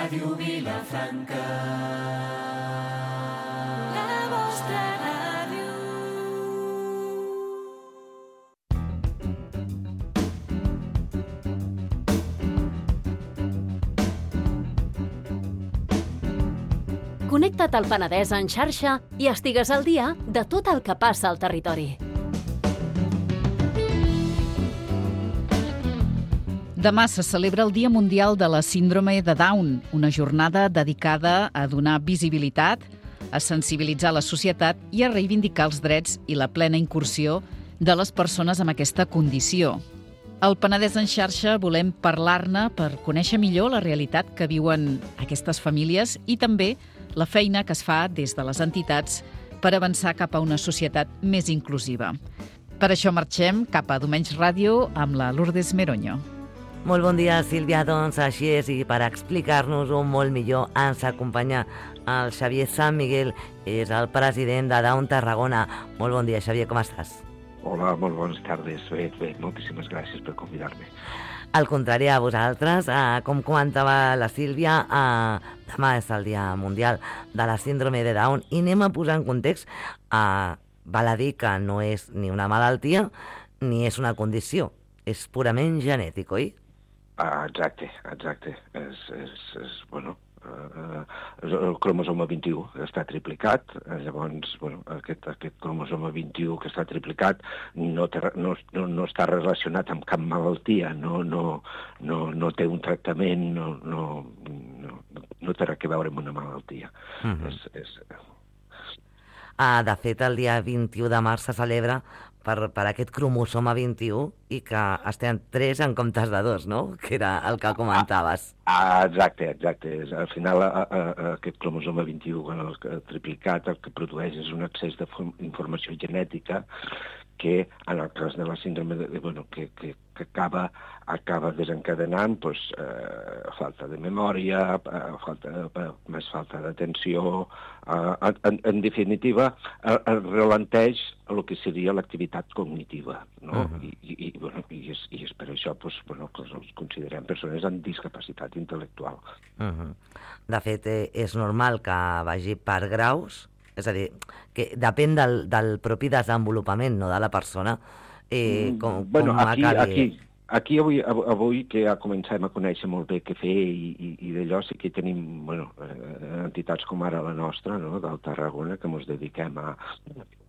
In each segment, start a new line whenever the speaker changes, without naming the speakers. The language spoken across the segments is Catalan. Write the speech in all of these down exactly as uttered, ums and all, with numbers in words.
Ràdio Vilafranca, la vostra ràdio.
Connecta't al Penedès en xarxa i estigues al dia de tot el que passa al territori.
Demà se celebra el Dia Mundial de la Síndrome de Down, una jornada dedicada a donar visibilitat, a sensibilitzar la societat i a reivindicar els drets i la plena incursió de les persones amb aquesta condició. Al Penedès en xarxa volem parlar-ne per conèixer millor la realitat que viuen aquestes famílies i també la feina que es fa des de les entitats per avançar cap a una societat més inclusiva. Per això marxem cap a Domenys Ràdio amb la Lourdes Meroño.
Molt bon dia, Sílvia. Doncs així és, i per explicar-nos-ho molt millor ens acompanya el Xavier San Miguel, és el president de Down Tarragona. Molt bon dia, Xavier, com estàs?
Hola, molt bones tardes. Bé, bé, moltíssimes gràcies per convidar-me.
Al contrari a vosaltres, eh, com comentava la Sílvia, eh, demà és el Dia Mundial de la Síndrome de Down i anem a posar en context, eh, val a dir que no és ni una malaltia ni és una condició, és purament genètic, oi?
Ah, exacte, exacte. És, és, és bueno, uh, el cromosoma vint-i-u està triplicat, llavors, bueno, aquest, aquest cromosoma vint-i-u que està triplicat no, té, no, no, no està relacionat amb cap malaltia, no, no, no, no té un tractament, no, no, no, no té res a veure amb una malaltia. Uh-huh. És, és...
Ah, de fet, el dia vint-i-u de març se celebra per, per aquest cromosoma vint-i-u i que estem tres en comptes de dos, no? Que era el que comentaves.
Ah, exacte, exacte. Al final, a, a, a aquest cromosoma vint-i-u el, el triplicat el que produeix és un excés d'informació genètica que, en el cas de la síndrome, de, bueno, que, que, que acaba, acaba desencadenant pues, eh, falta de memòria, eh, falta, eh, més falta d'atenció. Eh, en, en definitiva, eh, ralenteix el que seria l'activitat cognitiva, no? Uh-huh. I, i, i, bueno, i, és, i és per això pues, bueno, que els considerem persones amb discapacitat intel·lectual.
Uh-huh. De fet, eh, és normal que vagi per graus, és a dir, que depèn del, del propi desenvolupament, no, de la persona, eh, com,
bueno,
com
aquí,
acabi...
Aquí, aquí avui, avui que ja comencem a conèixer molt bé què fer i, i, i d'allò sí que tenim bueno, entitats com ara la nostra, no, del Tarragona, que ens dediquem a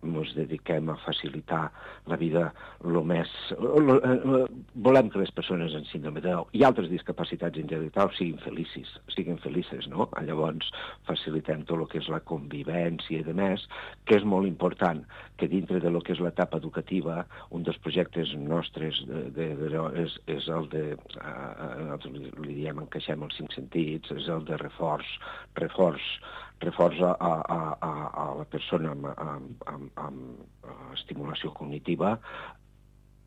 ens dediquem a facilitar la vida lo més... Lo, lo, volem que les persones amb síndrome de Down i altres discapacitats intel·lectuals siguin felicis, siguin felices, no? Llavors facilitem tot el que és la convivència i de més, que és molt important que dintre de lo que és l'etapa educativa, un dels projectes nostres de, de, de, és, és el de, eh, nosaltres li, li diem encaixem els cinc sentits, és el de reforç, reforç, reforç a, a, a, a la persona amb, amb, amb, amb estimulació cognitiva,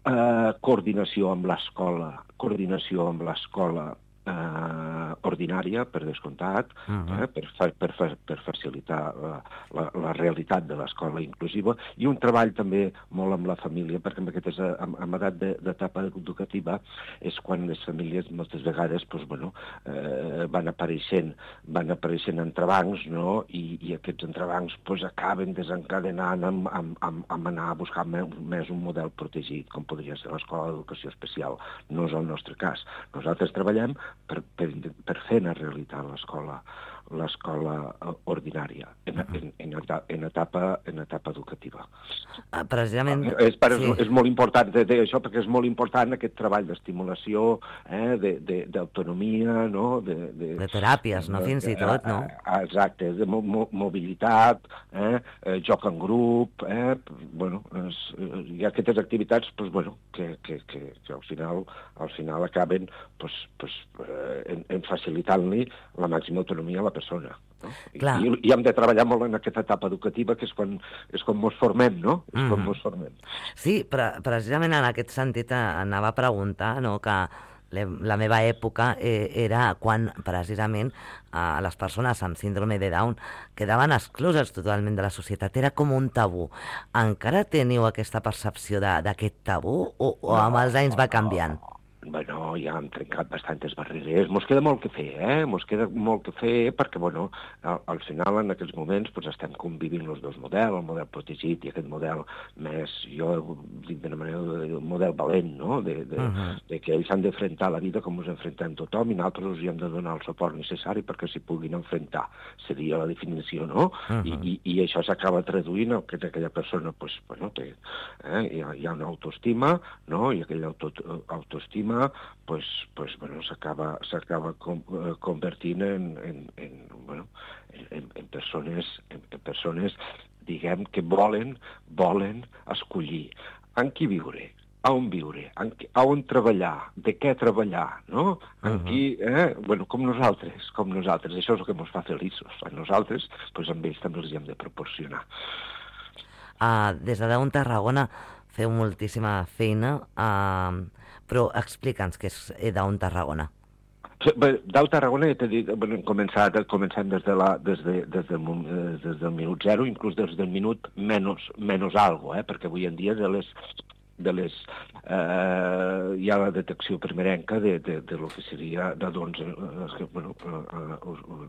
eh, coordinació amb l'escola, coordinació amb l'escola eh, ordinària, per descomptat, uh-huh. eh, per, per, per facilitar la, la, la realitat de l'escola inclusiva, i un treball també molt amb la família, perquè en aquest és, en, en edat d'etapa educativa és quan les famílies moltes vegades pues, bueno, eh, van apareixent van apareixent entrebancs, no? I, i aquests entrebancs pues, acaben desencadenant amb, amb, amb, amb anar a buscar més, més un model protegit, com podria ser l'escola d'educació especial. No és el nostre cas. Nosaltres treballem per, per, per fer una realitat l'escola l'escola ordinària en, en, en, etapa, en, etapa, en etapa educativa.
Ah, precisament...
És, per,
sí.
és molt important de, de això, perquè és molt important aquest treball d'estimulació, eh, d'autonomia, no? De, de,
de teràpies, no? Fins i tot, no?
Exacte, de mo, mo, mobilitat, eh, eh, joc en grup, eh, bueno, és, hi ha aquestes activitats pues, bueno, que, que, que, que al final, al final acaben pues, pues, en, en facilitant-li la màxima autonomia a la persona. No? I, I hem de treballar molt en aquesta etapa educativa, que és quan, és quan ens formem, no? És mm. quan ens formem.
Sí, però precisament en aquest sentit anava a preguntar, no?, que la meva època eh, era quan precisament eh, les persones amb síndrome de Down quedaven excloses totalment de la societat. Era com un tabú. Encara teniu aquesta percepció d'aquest tabú o, o amb els anys va canviant?
bueno, ja hem trencat bastantes barreres. Mos queda molt que fer, eh? Mos queda molt que fer perquè, bueno, al, al final, en aquests moments, pues, estem convivint els dos models, el model protegit i aquest model més, jo dic d'una manera, un model valent, no? De, de, uh -huh. de que ells han d'enfrontar la vida com ens enfrontem tothom i nosaltres els hem de donar el suport necessari perquè s'hi puguin enfrontar. Seria la definició, no? Uh -huh. I, i, I això s'acaba traduint en que aquella persona, pues, bueno, té, eh? hi, ha, hi ha una autoestima, no? I aquella auto, autoestima pues, pues, bueno, s'acaba s'acaba com, eh, convertint en, en, en, bueno, en, en, persones, en, en persones, diguem, que volen, volen escollir en qui viure, a on viure, en, a on treballar, de què treballar, no? En uh -huh. qui, eh? Bueno, com nosaltres, com nosaltres. Això és el que ens fa feliços. A nosaltres, pues, amb ells també els hi hem de proporcionar.
Uh, des de Daun Tarragona feu moltíssima feina, uh, però explica'ns què és Daun Tarragona.
Daun Tarragona, ja t'he dit, bueno, hem començat, començant des, de la, des, de, des, del, des del minut zero, inclús des del minut menys, menys algo, eh? Perquè avui en dia de les de les, eh, hi ha la detecció primerenca de, de, de lo que seria de doncs, eh, bueno, eh,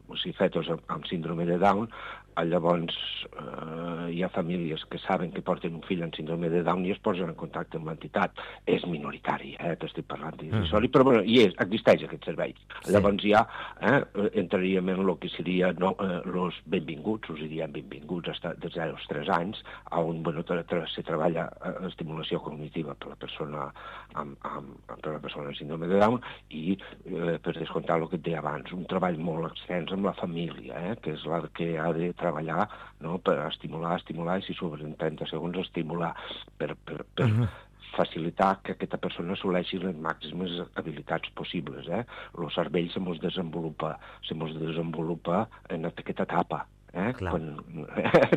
o sigui, fetos amb, amb síndrome de Down. Llavors eh, hi ha famílies que saben que porten un fill amb síndrome de Down i es posen en contacte amb l'entitat. És minoritari, eh, t'estic parlant d'irrisori, mm. però bueno, hi és, existeix aquest servei. Sí. Llavors ja eh, entraríem en el que seria no, eh, los benvinguts, us diríem benvinguts des zero als tres anys, on bueno, se treballa eh, estimulació cognitiva per la persona amb, amb, per la persona amb síndrome de Down i, eh, per descomptar el que et deia abans, un treball molt extens amb la família, eh, que és la que ha de treballar, no?, per estimular, estimular, i si sobren trenta segons, estimular, per, per, per uh-huh. facilitar que aquesta persona assoleixi les màximes habilitats possibles. Eh? El cervell se mos desenvolupa, se mos desenvolupa en aquesta etapa. Eh? Quan,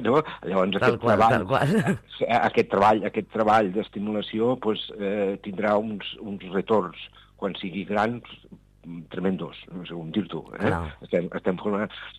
no? Llavors aquest
qual,
treball, aquest treball, aquest treball d'estimulació pues, eh, tindrà uns, uns retorns quan sigui gran tremendos, no sé com dir-t'ho, eh? estem, estem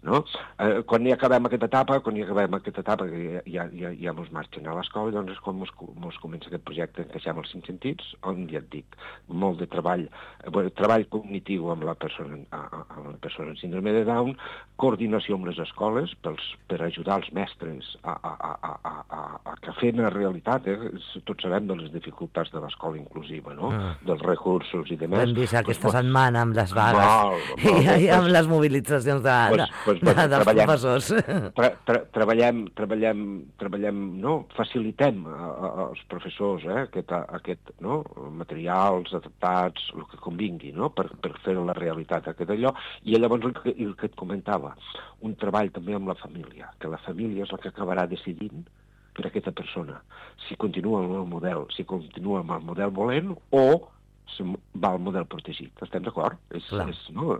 no? Eh, quan hi acabem aquesta etapa, quan hi acabem aquesta etapa, que ja, ja, ja mos marxen a l'escola, doncs és quan mos, mos comença aquest projecte Encaixem els cinc sentits, on ja et dic, molt de treball, eh, bueno, treball cognitiu amb la persona, amb la persona amb síndrome de Down, coordinació amb les escoles pels, per ajudar els mestres a, a, a, a, a, a que fem la realitat, eh? Tots sabem de les dificultats de l'escola inclusiva, no? Ah. Dels recursos i demés.
Hem vist aquesta pues, setmana amb les vagues molt, molt, i, i amb les mobilitzacions de,
pues, pues, pues,
de, dels professors.
Tra, tra, treballem, treballem, treballem, no? Facilitem a, a, als professors eh? aquest, aquest, no? materials adaptats, el que convingui, no? per, per fer la realitat aquest allò. I llavors el que, el que et comentava, un treball també amb la família, que la família és la que acabarà decidint per a aquesta persona, si continua amb el model, si continua amb el model volent o va al model protegit. Estem d'acord? És, és, no?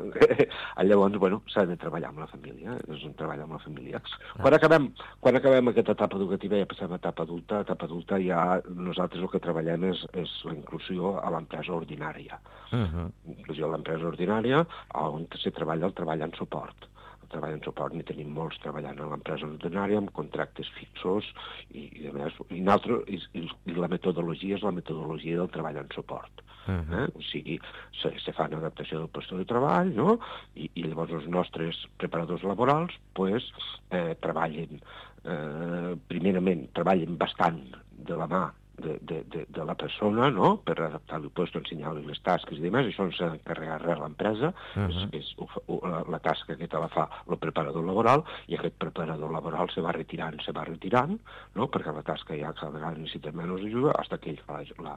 Llavors, bueno, s'ha de treballar amb la família. És un treball amb la família. Quan acabem, quan acabem aquesta etapa educativa ja passem a etapa adulta. A etapa adulta ja nosaltres el que treballem és, és la inclusió a l'empresa ordinària. Uh-huh. Inclusió a l'empresa ordinària on se treballa el treball en suport. Treball en suport, n'hi tenim molts treballant a l'empresa ordinària amb contractes fixos i, i, a més, i, altre, i, i la metodologia és la metodologia del treball en suport. Uh-huh. eh? O sigui, se, se fa una adaptació del lloc de treball, no? I, i llavors els nostres preparadors laborals pues, eh, treballen, eh, primerament treballen bastant de la mà De, de, de, de la persona, no?, per adaptar-li el lloc, ensenyar-li les tasques i demés, això s'ha d'encarregar res a l'empresa, uh-huh. és, és, la, la tasca que te la fa el preparador laboral, i aquest preparador laboral se va retirant, se va retirant, no?, perquè la tasca ja cada vegada necessita menys ajuda, fins que ell fa, la,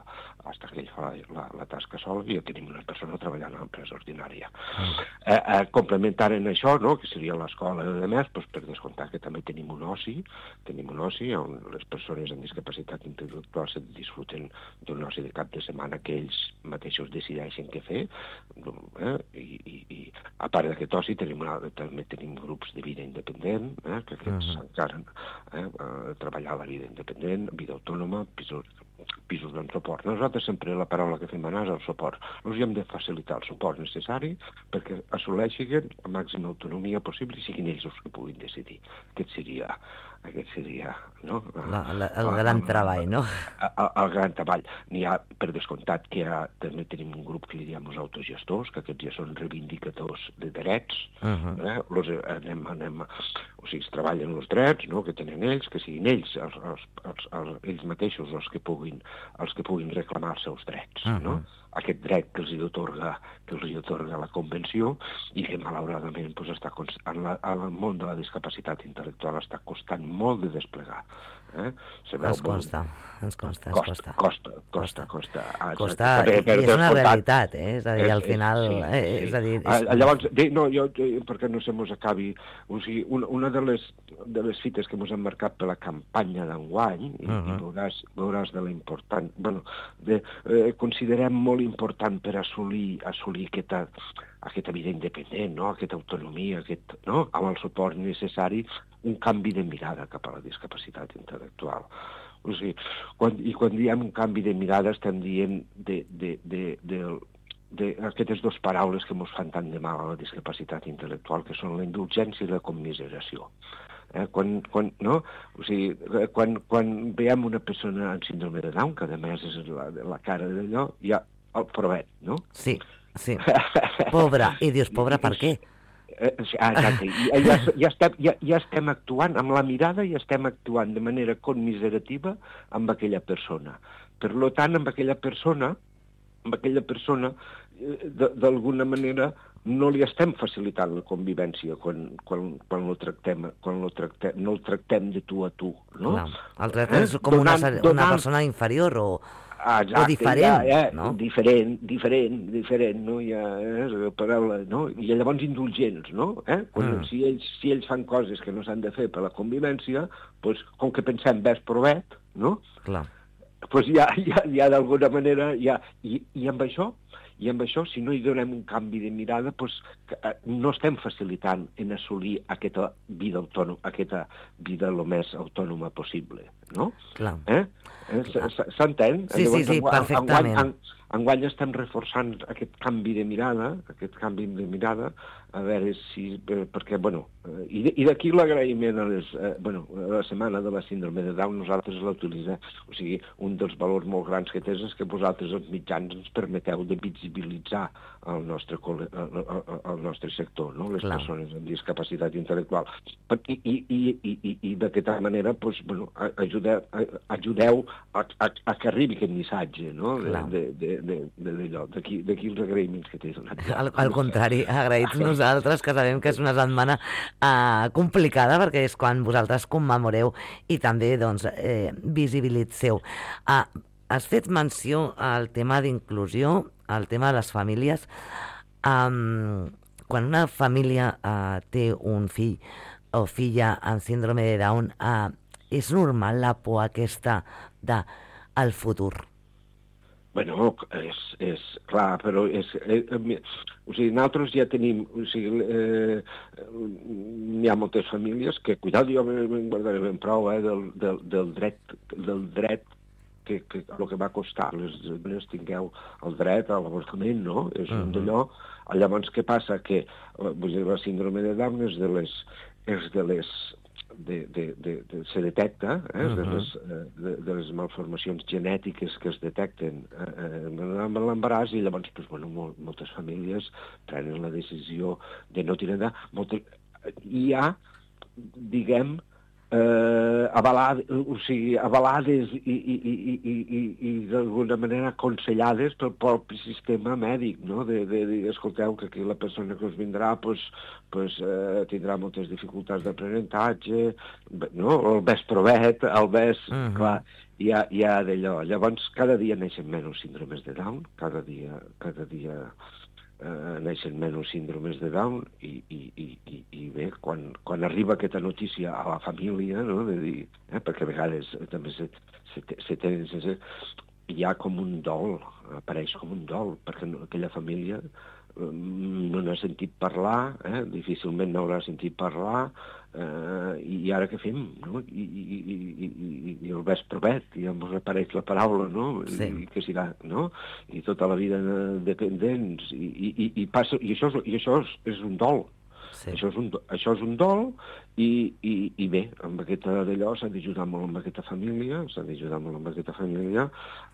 hasta que ell fa la, la, la tasca sola, i ja tenim una persona treballant a l'empresa ordinària. Uh-huh. Eh, eh, complementant en això, no?, que seria l'escola i demés, doncs, per descomptar que també tenim un oci, tenim un oci on les persones amb discapacitat intel·lectual se disfruten d'un oci de cap de setmana que ells mateixos decideixen què fer, eh? I, i, i a part d'aquest oci tenim una, també tenim grups de vida independent, eh? que aquests uh-huh. encara eh? treballar la vida independent, vida autònoma, pisos pisos de suport. Nosaltres sempre la paraula que fem anar és el suport. Els hem de facilitar el suport necessari perquè assoleixin la màxima autonomia possible i siguin ells els que puguin decidir. Aquest seria, aquest seria no?
La, la, el gran el, treball, no?
El, el gran treball. N'hi ha, per descomptat, que ha, també tenim un grup que li diem els autogestors, que aquests ja són reivindicadors de drets. Uh-huh. eh? Los, anem, anem, o sigui, es treballen els drets, no? Que tenen ells, que siguin ells, els, els, els, els, ells mateixos els que puguin els que puguin reclamar els seus drets, uh-huh. no? Aquest dret que els hi atorga, que els hi atorga la Convenció i que malauradament pues, està const... en, la, en el món de la discapacitat intel·lectual està costant molt de desplegar. Eh?
Ens consta, ens consta, ens
costa. Costa, costa, costa.
Costa, costa per, per, i és una realitat, eh? És a dir, al final... Sí, eh, sí. És a dir, és...
Llavors, no, jo, perquè no se mos acabi... O sigui, una, una de, les, de les fites que mos han marcat per la campanya d'enguany, i, uh-huh. i veuràs, veuràs de la important... Bueno, de, eh, considerem molt important per assolir, assolir aquesta, aquesta vida independent, no? Aquesta autonomia, aquest, no? Amb el suport necessari, un canvi de mirada cap a la discapacitat intel·lectual. O sigui, quan, i quan diem un canvi de mirada estem dient de, de, de, de, de aquestes dues paraules que ens fan tant de mal a la discapacitat intel·lectual, que són la indulgència i la commiseració. Eh, quan, quan, no? O sigui, quan, quan veiem una persona amb síndrome de Down, que a més és la, la cara d'allò, hi ha el provet, no?
Sí, sí. Pobra. I dius, pobra per què?
Eh, exacte. Ja, ja, ja, estem, ja, ja estem actuant, amb la mirada ja estem actuant de manera commiserativa amb aquella persona. Per tant, amb aquella persona, amb aquella persona, d'alguna manera, no li estem facilitant la convivència quan, quan, quan, lo tractem, quan lo tractem, no el tractem de tu a tu. No?
No. El tractem és com una, una persona inferior o...
Ah, exacte,
o diferent,
ja, ja,
no?
Diferent, diferent, diferent, no? Ja, eh, la paraula, no? I llavors indulgents, no? Eh? Quan, mm. si, ells, si ells fan coses que no s'han de fer per la convivència, pues, com que pensem ves provet, no?
Clar.
Pues ja, ja, ja d'alguna manera, ja, i, i amb això, i amb això, si no hi donem un canvi de mirada, pues, no estem facilitant en assolir aquesta vida autònoma, aquesta vida el més autònoma possible, no?
Clar.
Eh? S'entén?
Sí, sí, sí, perfectament.
Enguany, enguany estem reforçant aquest canvi de mirada, aquest canvi de mirada, a veure si... Perquè, bueno, i d'aquí l'agraïment a, les, eh, bueno, a la setmana de la síndrome de Down, nosaltres l'utilitzem. O sigui, un dels valors molt grans que tens és que vosaltres, els mitjans, ens permeteu de visibilitzar el nostre, el, el nostre sector, no? Les Clar. Persones amb discapacitat intel·lectual. I, i, i, i, i d'aquesta manera, doncs, bueno, ajudeu, ajudeu a, a, a que arribi aquest missatge, no? De, de, de, de, d'allò. D'aquí, d'aquí els agraïments que t'he donat.
Al, al contrari, agraïts nosaltres, que sabem que és una setmana uh, complicada, perquè és quan vosaltres commemoreu i també, doncs, eh, visibilitzeu. Uh, has fet menció al tema d'inclusió, al tema de les famílies. Um, quan una família uh, té un fill o filla amb síndrome de Down, uh, és normal la por aquesta de el futur?
Bueno, és, és clar, però és, eh, o sigui, nosaltres ja tenim, o sigui, eh, hi ha moltes famílies que, cuidado, jo me'n guardaré ben prou, eh, del, del, del dret, del dret que, que el que va costar, les dones tingueu el dret a l'avortament, no? És uh-huh. un d'allò. Llavors, què passa? Que vull dir, la síndrome de Down és de les... És de les De, de, de, de, se detecta eh, uh-huh. de, les, de, de les malformacions genètiques que es detecten eh, amb l'embaràs, i llavors pues, bueno, mol, moltes famílies prenen la decisió de no tirar endavant. Moltes... Hi ha, diguem, eh, avalades, o sigui, avalades i, i, i, i, i, i d'alguna manera aconsellades pel propi sistema mèdic, no? De, de dir, escolteu, que aquí la persona que us vindrà pues, pues, eh, tindrà moltes dificultats d'aprenentatge, no? El ves provet, el ves... Uh-huh. Clar, hi ha, hi ha d'allò. Llavors, cada dia neixen menys síndromes de Down, cada dia... Cada dia Uh, neixen menys síndromes de Down i, i, i, i, i bé, quan, quan arriba aquesta notícia a la família, no, de dir, eh, perquè a vegades també se, se, se tenen sense... hi ha com un dol, apareix com un dol, perquè no, aquella família no n'ha sentit parlar, eh? Difícilment n'haurà sentit parlar, eh, i ara què fem? No? I, i, i, i, i el ves provet, i ens apareix la paraula, no?
Sí.
I què serà, no? I tota la vida dependents, i, i, i, i, passa, i, això, és, i això és, és un dol. Sí. Això, és un, això és un dol, i, i, i bé, amb aquesta d'allò s'ha d'ajudar molt amb aquesta família, s'ha d'ajudar molt amb aquesta família,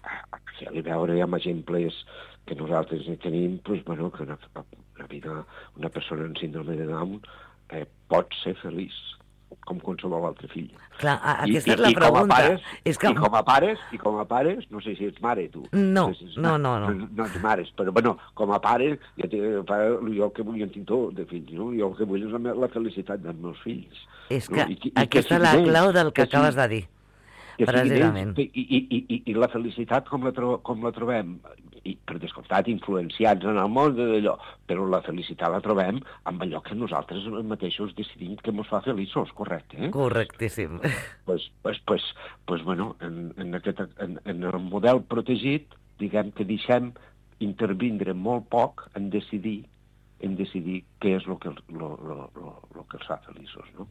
a, a fer-li veure amb exemples que nosaltres tenim, doncs, bueno, que una, una vida, una persona amb síndrome de Down eh, pot ser feliç, com qualsevol altre fill.
Clar, aquesta
I,
és la
i,
pregunta.
I com a pares,
és que...
i com a pares, i com a pares, no sé si ets mare, tu.
No,
no, si
no, no, no.
No, no ets mares, però, bueno, com a pare, jo, te, jo el que vull, en tinc tot de fills, no? Jo el que vull és la, la felicitat dels meus fills.
És que
no? I, i,
aquesta és la clau del que, que acabes de dir. Precisament.
I, i, i, i, I la felicitat com la, tro, com la trobem? I, per descomptat, influenciats en el món d'allò, però la felicitat la trobem amb allò que nosaltres mateixos decidim que ens fa feliços, correcte? Eh?
Correctíssim.
Pues, pues, pues, pues, bueno, en, en, aquest, en, en el model protegit, diguem que deixem intervindre molt poc en decidir en decidir què és el que, lo, lo, lo, lo que els fa feliços, no?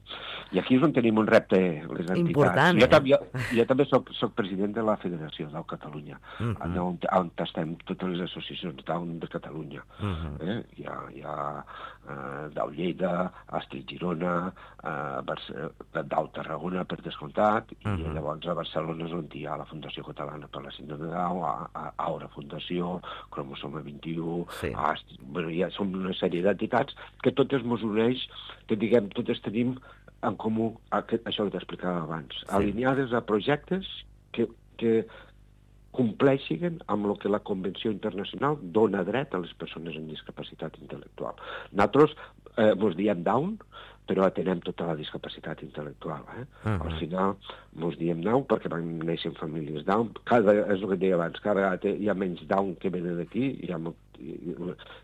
I aquí és on tenim un repte, les entitats.
Important,
jo,
eh?
també, jo, jo també soc, soc president de la Federació d'Au Catalunya, uh -huh. on, on estem totes les associacions d'Au de Catalunya. Uh -huh. eh? Hi ha, hi ha uh, d'Au Lleida, Astrid Girona, uh, d'Au Tarragona, per descomptat, uh -huh. i llavors a Barcelona és on hi ha la Fundació Catalana per la Síndrome de Down, a, a, Aura Fundació, Cromosoma vint-i-u, sí. Astrid, bueno, ja som una sèrie d'entitats que totes ens uneix, que diguem, totes tenim en comú aquest, això que t'explicava abans, sí. alineades a projectes que, que compleixin amb el que la Convenció Internacional dona dret a les persones amb discapacitat intel·lectual. Nosaltres eh, ens diem Down, però atenem tota la discapacitat intel·lectual. Eh? Uh -huh. Al final ens diem Down perquè van néixer en famílies Down. Cada, és el que deia abans, cada vegada hi ha menys Down que venen d'aquí, hi ha molt, i,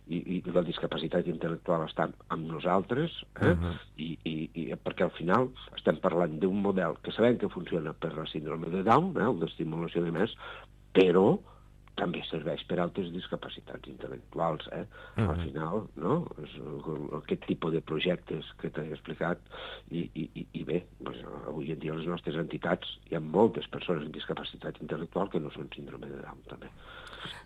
i, i la discapacitat intel·lectual està amb nosaltres, eh? Uh -huh. I, i, i perquè al final estem parlant d'un model que sabem que funciona per la síndrome de Down, eh? l'estimulació de més, però també serveix per altres discapacitats intel·lectuals, eh? Uh-huh. Al final, no? És aquest tipus de projectes que t'he explicat, i, i, i bé, doncs, avui en dia les nostres entitats, hi ha moltes persones amb discapacitat intel·lectual que no són síndrome de Down, també.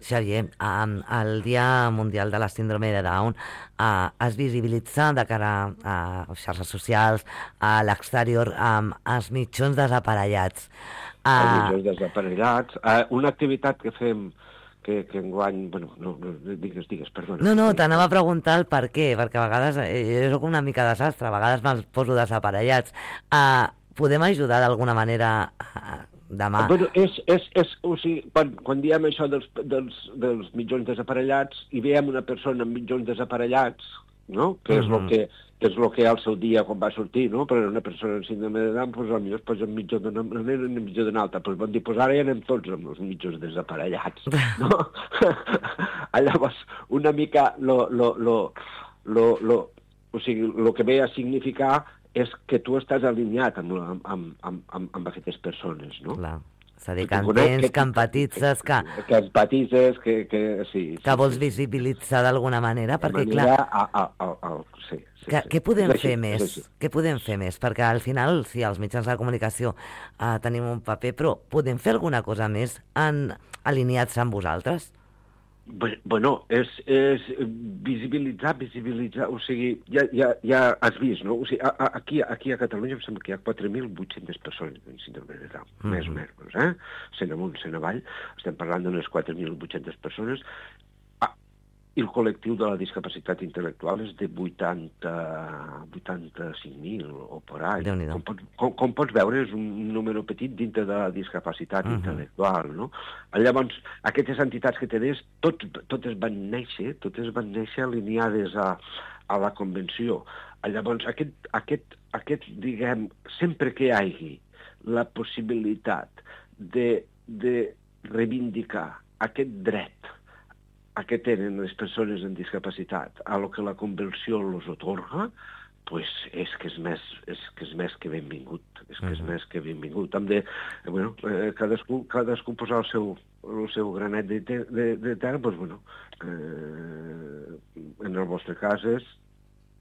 Xavier, el Dia Mundial de la Síndrome de Down eh, es visibilitza de cara a xarxes socials, a l'exterior, amb els mitjons desaparellats.
Uh... Els mitjons desaparellats. Uh, una activitat que fem que, que enguany... Bueno, no, no, digues, digues, perdona.
No, no, t'anava a preguntar el per què, perquè a vegades eh, jo soc una mica desastre, a vegades me'ls poso desaparellats. Uh, podem ajudar d'alguna manera a... demà?
Bueno, és, és, és, o sigui, quan, quan diem això dels, dels, dels mitjons desaparellats i veiem una persona amb mitjons desaparellats, no? Que és el
uh-huh.
que, que és el que al seu dia quan va sortir, no? Però una persona amb síndrome de Down, doncs potser es posa en mitjó d'una manera i en mitjó d'una altra. Doncs van dir, doncs ara ja anem tots amb els mitjons desaparellats, no? Llavors, una mica lo, lo, lo, lo, lo, o sigui, el que ve a significar és que tu estàs alineat amb, amb, amb, amb, amb aquestes persones, no?
Clar. És a dir, que entens, que, que empatitzes, que...
Que empatitzes, que, que sí.
Que vols sí, visibilitzar d'alguna manera, perquè,
manera,
clar...
A, a, a, a, sí, sí,
que,
sí.
Què podem
sí,
fer
sí,
més?
Sí, sí.
Què podem fer més? Perquè al final, sí, els mitjans de comunicació eh, tenim un paper, però podem fer alguna cosa més en alineats amb vosaltres?
Bueno, és, és visibilitzar, visibilitzar, o sigui, ja, ja, ja has vist, no? O sigui, a, a, aquí, aquí a Catalunya em sembla que hi ha quatre mil vuit-centes persones amb síndrome de Down, mm-hmm. més o menys, eh? Sent amunt, sent avall, estem parlant d'unes quatre mil vuit-centes persones. Ah, i el col·lectiu de la discapacitat intel·lectual és de vuitanta, vuitanta-cinc mil o por ahí. Com, pot, com, com pots veure, és un número petit dintre de la discapacitat uh-huh. intel·lectual, no? Llavors, aquestes entitats que tenies, tot, totes van néixer, totes van néixer alineades a, a la Convenció. Llavors, aquest, aquest, aquest, diguem, sempre que hi hagi la possibilitat de, de reivindicar aquest dret a que tenen les persones amb discapacitat, a lo que la Convenció els otorga, pues és que és més, és que és més que benvingut, és que és més que benvingut. Hem de, bueno, eh, cadascú, cadascú posar el seu, el seu granet de, te, de, de terra, doncs, bueno, eh, en el vostre cas és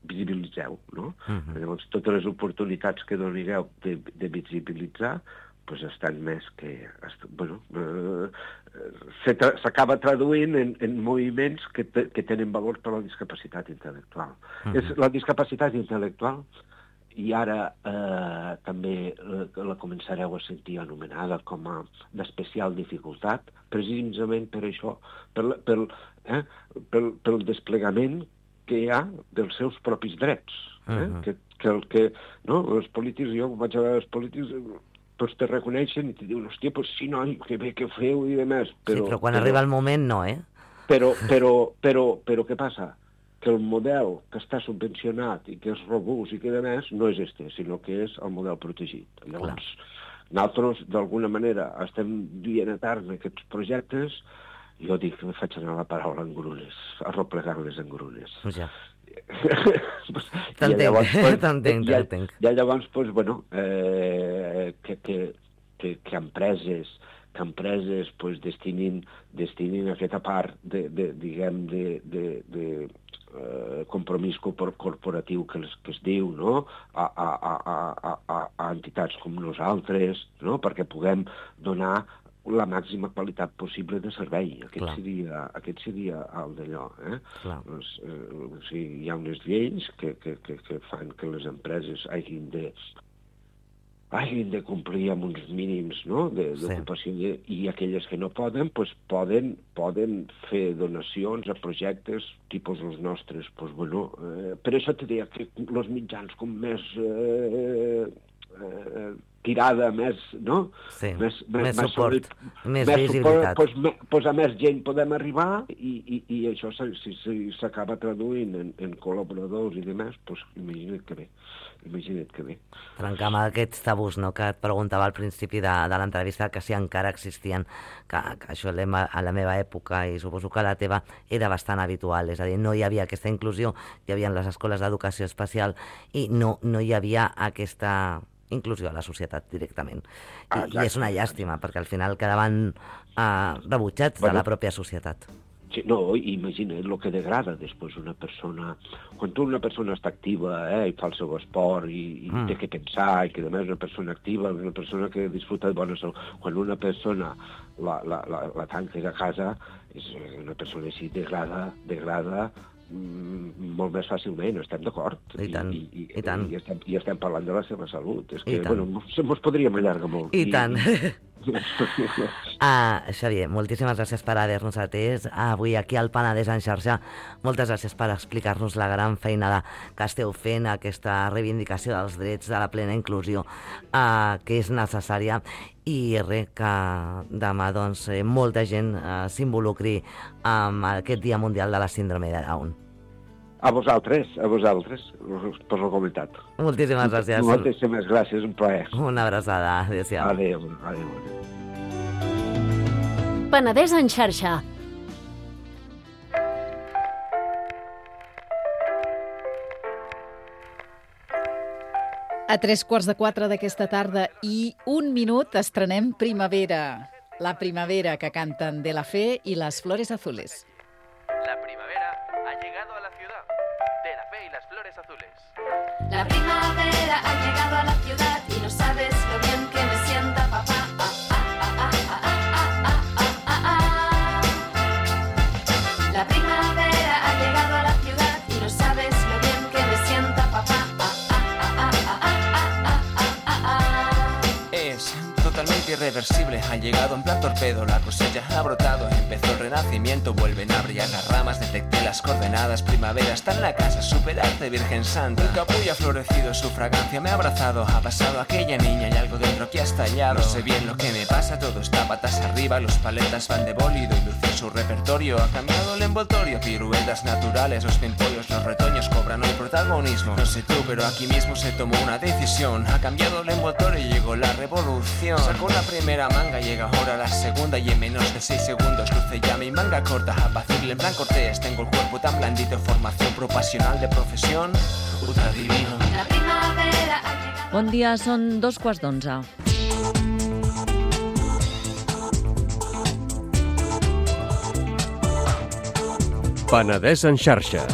visibilitzeu, no? Uh-huh. Llavors, totes les oportunitats que donigueu de, de visibilitzar, pues estan més que... Bueno, eh, s'acaba traduint en, en moviments que, te, que tenen valor per la discapacitat intel·lectual. Uh-huh. És la discapacitat intel·lectual, i ara eh, també la, la començareu a sentir anomenada com a d'especial dificultat, precisament per això, per, per, eh, pel, pel desplegament que hi ha dels seus propis drets. Eh? Uh-huh. que, que el que... No? Els polítics, jo vaig a veure els polítics... tots te reconeixen i te diuen, hòstia, pues sí, noi, que bé que feu i demés.
Però, sí, però quan però, arriba el moment, no, eh?
Però, però, però, però què passa? Que el model que està subvencionat i que és robust i que demés no és este, sinó que és el model protegit. Llavors, clar, nosaltres, d'alguna manera, estem duent a terme aquests projectes. Jo dic que me faig anar la paraula en grunes, arroplegar-les en grunes.
Ja. T'entenc,
pues,
t'entenc,
ja,
t'entenc.
Ja llavors, pues, bueno, eh, que, que, que, que empreses, que empreses pues, destinin, destinin aquesta part de, de, diguem, de, de, de eh, compromís corporatiu que es, que es diu, no? a, a, a, a, a, a entitats com nosaltres, no? Perquè puguem donar la màxima qualitat possible de servei. Aquest seria, aquest seria el d'allò. Eh? Doncs, eh, o sigui, hi ha unes lleis que, que, que, que fan que les empreses hagin de, hagin de complir amb uns mínims, no? d'ocupació, sí. I aquelles que no poden, pues, poden, poden fer donacions a projectes tipus els nostres. Pues, bueno, eh, per això te deia que els mitjans com més... Eh, eh, tirada més, no?
Sí,
més,
més, més suport, sobre, més,
més
visibilitat.
Suport, pues, pues a més gent podem arribar i, i, i això si s'acaba traduint en, en col·laboradors i demés, pues imagina't que bé, imagina't que bé.
Trencar amb aquests tabús, no?, que et preguntava al principi de, de l'entrevista, que si encara existien, que, que això a la meva època, i suposo que a la teva, era bastant habitual, és a dir, no hi havia aquesta inclusió, hi havia les escoles d'educació especial i no, no hi havia aquesta... inclusió a la societat directament. I, ah, i és una llàstima, perquè al final quedaven uh, rebutjats bueno, de la pròpia societat.
Sí, no, imagina't el que degrada després una persona... Quan tu una persona està activa, eh, i fa el seu esport, i, i mm. té que pensar, i que a més una persona activa, una persona que disfruta de bona salut, quan una persona la, la, la, la tanca a casa, és una persona així degrada, degrada molt més fàcilment, estem d'acord.
I tant, i,
i,
i tant.
I estem, i estem parlant de la seva salut. És que,
I tant.
bueno, ens podríem allargar molt.
I, I tant. ah, Xavier, moltíssimes gràcies per haver-nos atès avui aquí al Penedès en xarxa. Moltes gràcies per explicar-nos la gran feinada que esteu fent, aquesta reivindicació dels drets, de la plena inclusió, eh, que és necessària. I res, que demà doncs, molta gent eh, s'involucri amb aquest Dia Mundial de la Síndrome de Down.
A vosaltres, a vosaltres, per la comunitat.
Moltíssimes gràcies.
Moltíssimes gràcies, un plaer.
Una abraçada, adéu-siau.
Adéu, adéu.
Penedès en xarxa.
A tres quarts de quatre d'aquesta tarda i un minut estrenem Primavera. La primavera que canten De la Fe i las Flores Azules.
La primavera ha llegado a la ciudad. De la Fe y las Flores Azules.
La primavera ha llegado a la ciudad y no sabes lo bien que me sienta papá. La primavera ha llegado a la ciudad y no sabes lo bien que me sienta papá.
Es totalmente irreversible, ha llegado en plan torpedo, la cosecha ha brotado, empezó el renacimiento, vuelven a brillar las ramas, detecté las coordenadas, primavera está en la casa, superarte Virgen Santa. El capullo ha florecido, su fragancia me ha abrazado, ha pasado aquella niña y algo dentro que ha estallado. No sé bien lo que me pasa, todo está patas arriba, los paletas van de bólido y luce su repertorio, ha cambiado el envoltorio, piruetas naturales, los pimpollos, los retoños cobran hoy protagonismo. No sé tú, pero aquí mismo se tomó una decisión, ha cambiado el envoltorio y llegó la revolución. Sacó la primera manga, llega ahora la segunda y en menos de seis segundos luce ya mi manga corta, apacible en plan cortés. Tengo el cuerpo tan blandito, formación propasional de profesión, ultra divino.
La primavera ha llegado.
Bon dia, són dos quarts d'onze.
Penedès en xarxa.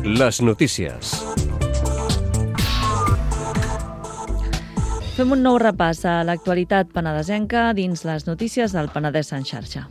Les notícies.
Fem un nou repàs a l'actualitat penedesenca dins les notícies del Penedès en xarxa.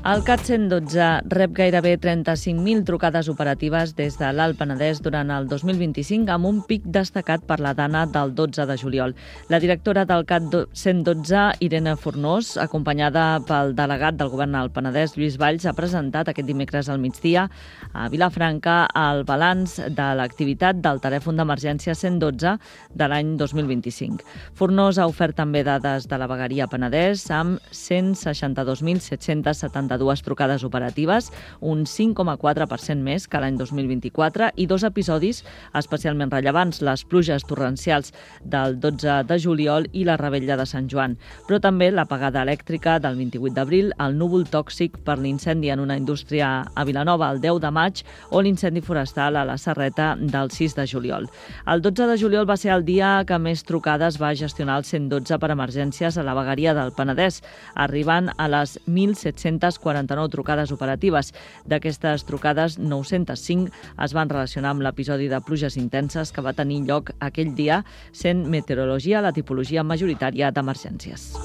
El CAT cent dotze rep gairebé trenta-cinc mil trucades operatives des de l'Alt Penedès durant el dos mil vint-i-cinc, amb un pic destacat per la dana del dotze de juliol. La directora del CAT cent dotze, Irene Fornós, acompanyada pel delegat del Govern al Penedès, Lluís Valls, ha presentat aquest dimecres al migdia a Vilafranca el balanç de l'activitat del telèfon d'emergència cent dotze de l'any dos mil vint-i-cinc. Fornós ha ofert també dades de la vegueria Penedès amb cent seixanta-dos mil set-cents setanta-dos trucades operatives, un cinc coma quatre per cent més que l'any dos mil vint-i-quatre, i dos episodis especialment rellevants, les pluges torrencials del dotze de juliol i la revetlla de Sant Joan, però també l'apagada elèctrica del vint-i-vuit d'abril, el núvol tòxic per l'incendi en una indústria a Vilanova el deu de maig o l'incendi forestal a la Serreta del sis de juliol. El dotze de juliol va ser el dia que més trucades va gestionar el cent dotze per emergències a la vegueria del Penedès, arribant a les mil set-cents quaranta-nou trucades operatives. D'aquestes trucades, nou-cents cinc es van relacionar amb l'episodi de pluges intenses que va tenir lloc aquell dia, sent meteorologia la tipologia majoritària d'emergències.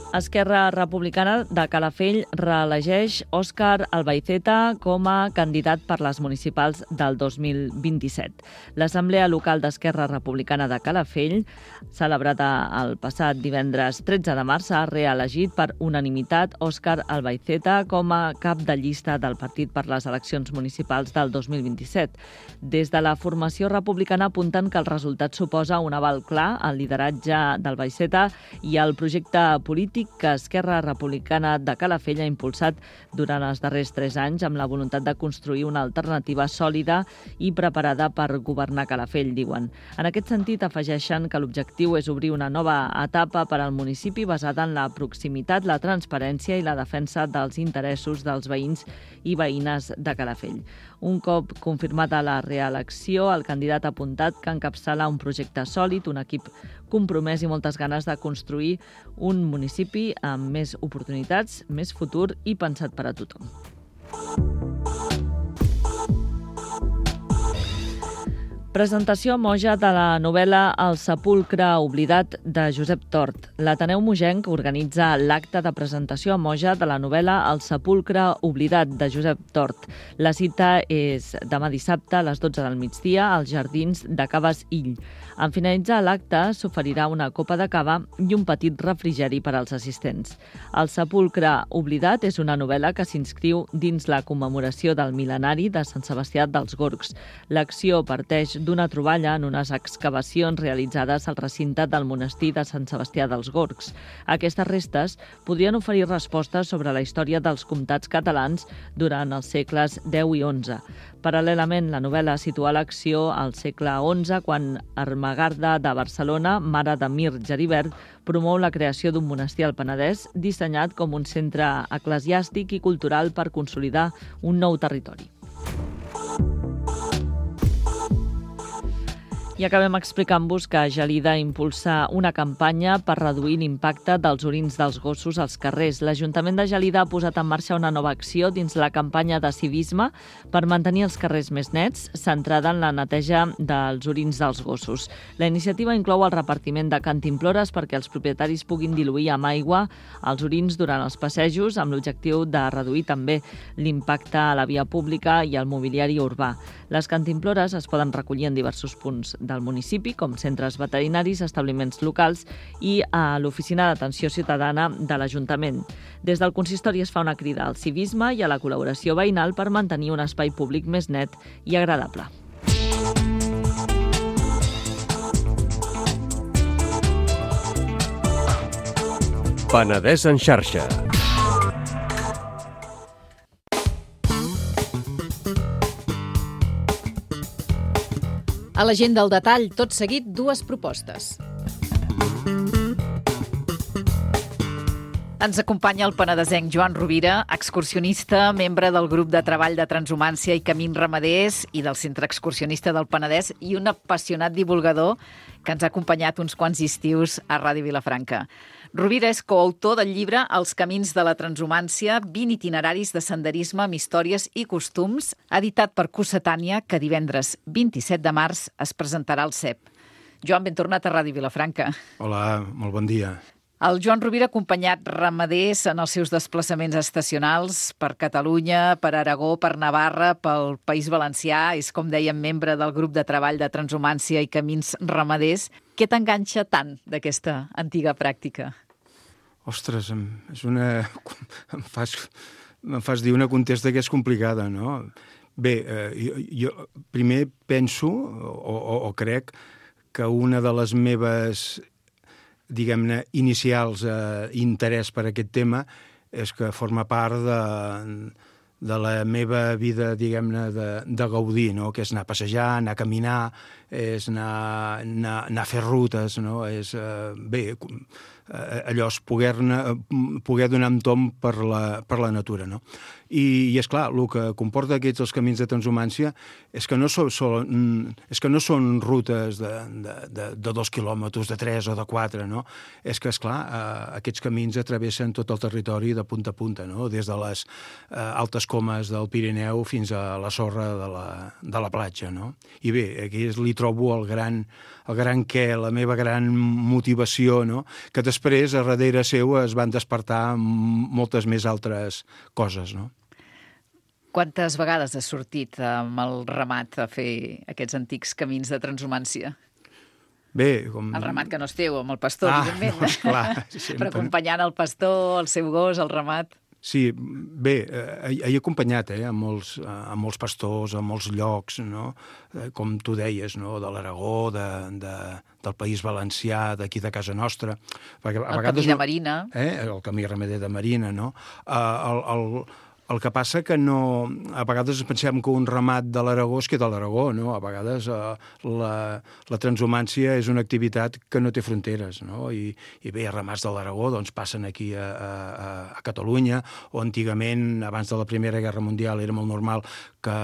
Esquerra Republicana de Calafell reelegeix Òscar Albaiceta com a candidat per les municipals del dos mil vint-i-set. L'Assemblea Local d'Esquerra Republicana de Calafell, celebrada el passat divendres tretze de març, ha reelegit per unanimitat Òscar Albaiceta com a cap de llista del partit per les eleccions municipals del dos mil vint-i-set. Des de la formació republicana apunten que el resultat suposa un aval clar al lideratge d'Albaiceta i al projecte polític que Esquerra Republicana de Calafell ha impulsat durant els darrers tres anys amb la voluntat de construir una alternativa sòlida i preparada per governar Calafell, diuen. En aquest sentit, afegeixen que l'objectiu és obrir una nova etapa per al municipi basada en la proximitat, la transparència i la defensa dels interessos dels veïns i veïnes de Calafell. Un cop confirmada la reelecció, el candidat ha apuntat que encapçala un projecte sòlid, un equip compromès i moltes ganes de construir un municipi amb més oportunitats, més futur i pensat per a tothom. Presentació a Moja de la novel·la El sepulcre oblidat de Josep Tort. L'Ateneu Mogenc organitza l'acte de presentació a Moja de la novel·la El sepulcre oblidat de Josep Tort. La cita és demà dissabte a les dotze del migdia als jardins de Caves Ill. En finalitzar l'acte s'oferirà una copa de cava i un petit refrigeri per als assistents. El sepulcre oblidat és una novel·la que s'inscriu dins la commemoració del mil·lenari de Sant Sebastià dels Gorgs. L'acció parteix d'una troballa en unes excavacions realitzades al recinte del monestir de Sant Sebastià dels Gorgs. Aquestes restes podrien oferir respostes sobre la història dels comtats catalans durant els segles deu i onze. Paral·lelament, la novel·la situa l'acció al segle onze, quan Ermengarda de Barcelona, mare de Mir Geribert, promou la creació d'un monestir al Penedès dissenyat com un centre eclesiàstic i cultural per consolidar un nou territori. I acabem explicant-vos que Gelida impulsa una campanya per reduir l'impacte dels orins dels gossos als carrers. L'Ajuntament de Gelida ha posat en marxa una nova acció dins la campanya de civisme per mantenir els carrers més nets, centrada en la neteja dels orins dels gossos. La iniciativa inclou el repartiment de cantimplores perquè els propietaris puguin diluir amb aigua els orins durant els passejos, amb l'objectiu de reduir també l'impacte a la via pública i al mobiliari urbà. Les cantimplores es poden recollir en diversos punts del municipi, com centres veterinaris, establiments locals i a l'Oficina d'Atenció Ciutadana de l'Ajuntament. Des del consistori es fa una crida al civisme i a la col·laboració veïnal per mantenir un espai públic més net i agradable.
Penedès en xarxa.
A la gent del detall, tot seguit, dues propostes. Ens acompanya el penedesenc Joan Rovira, excursionista, membre del grup de treball de transhumància i camins ramaders i del Centre Excursionista del Penedès i un apassionat divulgador que ens ha acompanyat uns quants estius a Ràdio Vilafranca. Rovira és coautor del llibre Els camins de la transhumància, vint itineraris de senderisme amb històries i costums, editat per Cossetània, que divendres vint-i-set de març es presentarà al C E P. Joan, ben tornat a Ràdio Vilafranca.
Hola, molt bon dia.
El Joan Rovira ha acompanyat ramaders en els seus desplaçaments estacionals per Catalunya, per Aragó, per Navarra, pel País Valencià. És, com dèiem, membre del grup de treball de transhumància i camins ramaders. Què t'enganxa tant d'aquesta antiga pràctica?
Ostres, és una... em fas, em fas dir una contesta que és complicada, no? Bé, eh, jo, jo primer penso, o, o, o crec, que una de les meves, diguem-ne, inicials eh, interès per aquest tema és que forma part de, de la meva vida, diguem-ne, de, de gaudir, no? Que és anar a passejar, anar a caminar, és anar, anar, anar a fer rutes, no? És, eh, bé, allò és poder-ne, poder donar amb tom per la, per la natura, no? I, i és clar, el que comporta aquests els camins de transhumància és que no són, són, és que no són rutes de, de, de, de dos quilòmetres, de tres o de quatre, no? És que, esclar, eh, aquests camins atravessen tot el territori de punta a punta, no? Des de les eh, altes comes del Pirineu fins a la sorra de la, de la platja, no? I bé, aquí li trobo el gran, el gran què, la meva gran motivació, no? Que després, a darrere seu, es van despertar moltes més altres coses, no?
Quantes vegades has sortit amb el ramat a fer aquests antics camins de transhumància?
Bé, com...
El ramat que no és teu, amb el pastor,
ah,
evidentment.
No, esclar,
però acompanyant el pastor, el seu gos, el ramat...
Sí, bé, he, he acompanyat eh, a, molts, a molts pastors, a molts llocs, no? Com tu deies, no? De l'Aragó, de, de, del País Valencià, d'aquí de casa nostra.
Perquè a el vegades, camí de Marina.
Eh, el camí ramader de Marina, no? Uh, el... el El que passa que no... A vegades pensem que un ramat de l'Aragó es queda a l'Aragó, no? A vegades eh, la, la transhumància és una activitat que no té fronteres, no? I, i bé, ramats de l'Aragó doncs, passen aquí a, a, a Catalunya, o antigament, abans de la Primera Guerra Mundial, era molt normal que,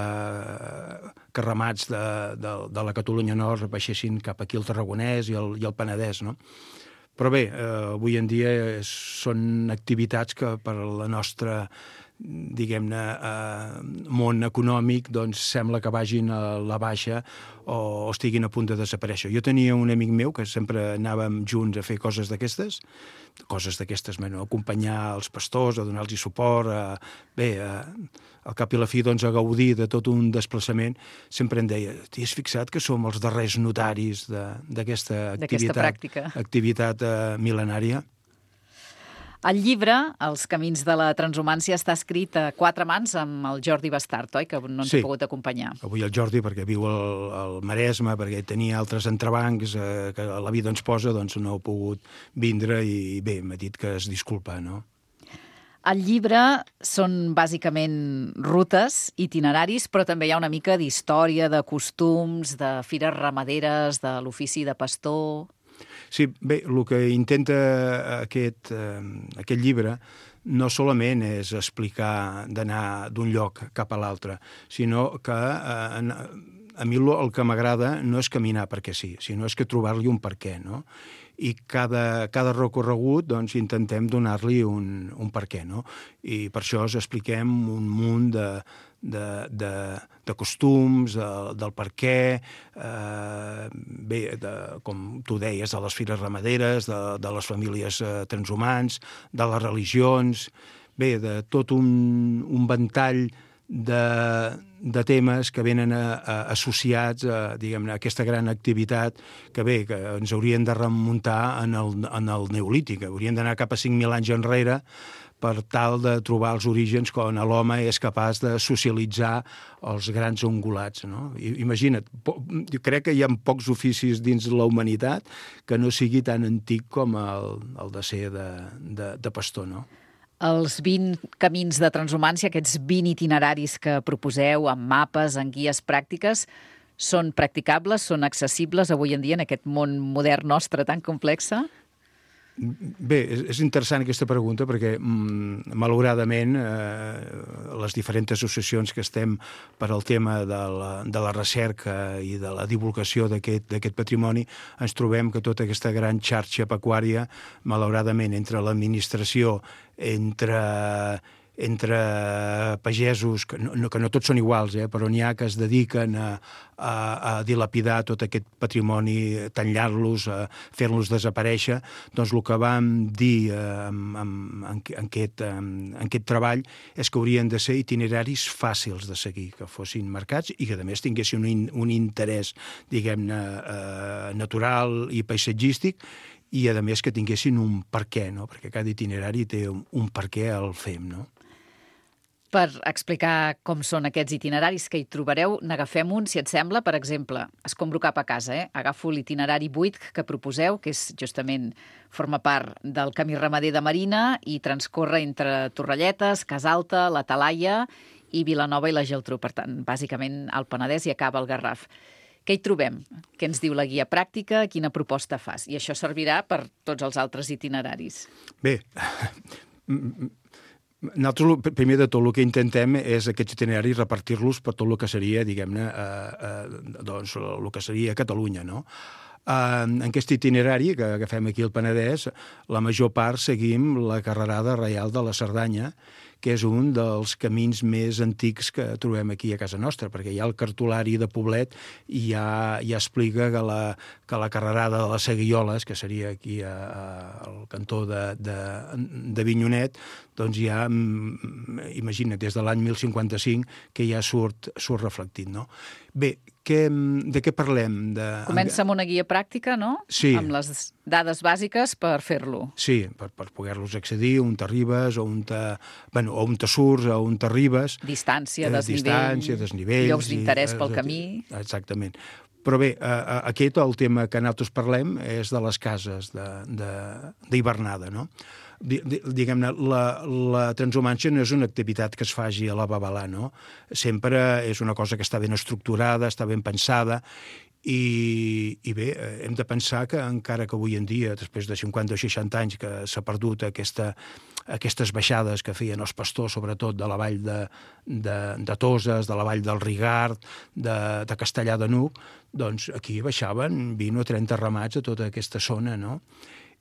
que ramats de, de, de la Catalunya Nord baixessin cap aquí al Tarragonès i el, i el Penedès, no? Però bé, eh, avui en dia és, són activitats que per la nostra, diguem-ne, eh, món econòmic, doncs sembla que vagin a la baixa o estiguin a punt de desaparèixer. Jo tenia un amic meu que sempre anàvem junts a fer coses d'aquestes, coses d'aquestes, bueno, acompanyar els pastors, a donar-los suport, a, bé, a, al cap i la fi, doncs, a gaudir de tot un desplaçament. Sempre em deia, t'hi has fixat que som els darrers notaris d'aquesta activitat, activitat eh, mil·lenària?
El llibre, Els camins de la transhumància, està escrit a quatre mans amb el Jordi Bastart, oi? Que no ens sí. ha pogut acompanyar.
Avui el Jordi, perquè viu al, al Maresme, perquè tenia altres entrebancs eh, que la vida ens posa, doncs no ha pogut vindre i bé, m'ha dit que es disculpa, no?
El llibre són bàsicament rutes, itineraris, però també hi ha una mica d'història, de costums, de fires ramaderes, de l'ofici de pastor...
Sí, bé, el que intenta aquest, eh, aquest llibre no solament és explicar d'anar d'un lloc cap a l'altre, sinó que eh, a mi el que m'agrada no és caminar perquè sí, sinó és que trobar-li un per què, no? I cada, cada recorregut doncs, intentem donar-li un, un per què, no? I per això us expliquem un munt de, de, de, de costums, de, del per què, eh, bé, de, com tu deies, de les fires ramaderes, de, de les famílies eh, transhumants, de les religions, bé, de tot un, un ventall de, de temes que venen a, a, associats a, diguem-ne, a aquesta gran activitat que bé, que ens haurien de remuntar en el, en el Neolític, haurien d'anar cap a cinc mil anys enrere per tal de trobar els orígens quan l'home és capaç de socialitzar els grans ungulats. No? Imagina't, jo crec que hi ha pocs oficis dins la humanitat que no sigui tan antic com el, el de ser de, de, de pastor, no?
Els vint camins de transhumància, aquests vint itineraris que proposeu amb mapes, en guies pràctiques, són practicables, són accessibles avui en dia en aquest món modern nostre tan complex?
Bé, és interessant aquesta pregunta perquè, mm, malauradament, eh, les diferents associacions que estem per al tema de la, de la recerca i de la divulgació d'aquest d'aquest patrimoni, ens trobem que tota aquesta gran xarxa pecuària, malauradament, entre l'administració, entre entre pagesos, que no, que no tots són iguals, eh, però n'hi ha que es dediquen a, a, a dilapidar tot aquest patrimoni, tallar-los, a fer-los desaparèixer, doncs el que vam dir eh, en, en, en, aquest, en, en aquest treball és que haurien de ser itineraris fàcils de seguir, que fossin marcats i que a més tinguessin un, un interès, diguem-ne, eh, natural i paisatgístic, i a més que tinguessin un per què, no? Perquè cada itinerari té un, un per què el fem, no?
Per explicar com són aquests itineraris que hi trobareu, n'agafem un, si et sembla. Per exemple, escombro cap a casa, eh? Agafo l'itinerari vuit que proposeu, que és justament forma part del camí ramader de Marina i transcorre entre Torrelletes, Casalta, la Talaia i Vilanova i la Geltrú. Per tant, bàsicament al Penedès i acaba al Garraf. Què hi trobem? Què ens diu la guia pràctica? Quina proposta fas? I això servirà per tots els altres itineraris.
Bé, nosaltres, primer de tot, el que intentem és aquests itineraris repartir-los per tot el que seria, diguem-ne, eh, eh, doncs, el que seria Catalunya, no? En aquest itinerari que agafem aquí al Penedès, la major part seguim la carrerada reial de la Cerdanya, que és un dels camins més antics que trobem aquí a casa nostra, perquè hi ha el cartolari de Poblet i ja, ja explica que la, que la carrerada de les Seguioles, que seria aquí a, a, al cantó de, de, de Vinyonet, doncs ja, imagina't, des de l'any mil cinquanta-cinc que ja surt, surt reflectit, no? Bé, que, de què parlem? De...
Comença amb una guia pràctica, no?
Sí.
Amb les dades bàsiques per fer-lo.
Sí, per, per poder-los accedir, on t'arribes, on te, bueno, on te surts, on t'arribes.
Distància, desnivell,
distància, desnivells,
llocs d'interès pel
i,
camí.
Exactament. Però bé, aquest, el tema que nosaltres parlem és de les cases d'hivernada, no? Diguem-ne, la, la transhumància no és una activitat que es faci a la babalà, no? Sempre és una cosa que està ben estructurada, està ben pensada, i, i bé, hem de pensar que encara que avui en dia, després de cinquanta o seixanta anys que s'ha perdut aquesta, aquestes baixades que feien els pastors, sobretot de la vall de, de, de Toses, de la vall del Rigard, de, de Castellar de Nuc, doncs aquí baixaven vint o trenta ramats a tota aquesta zona, no?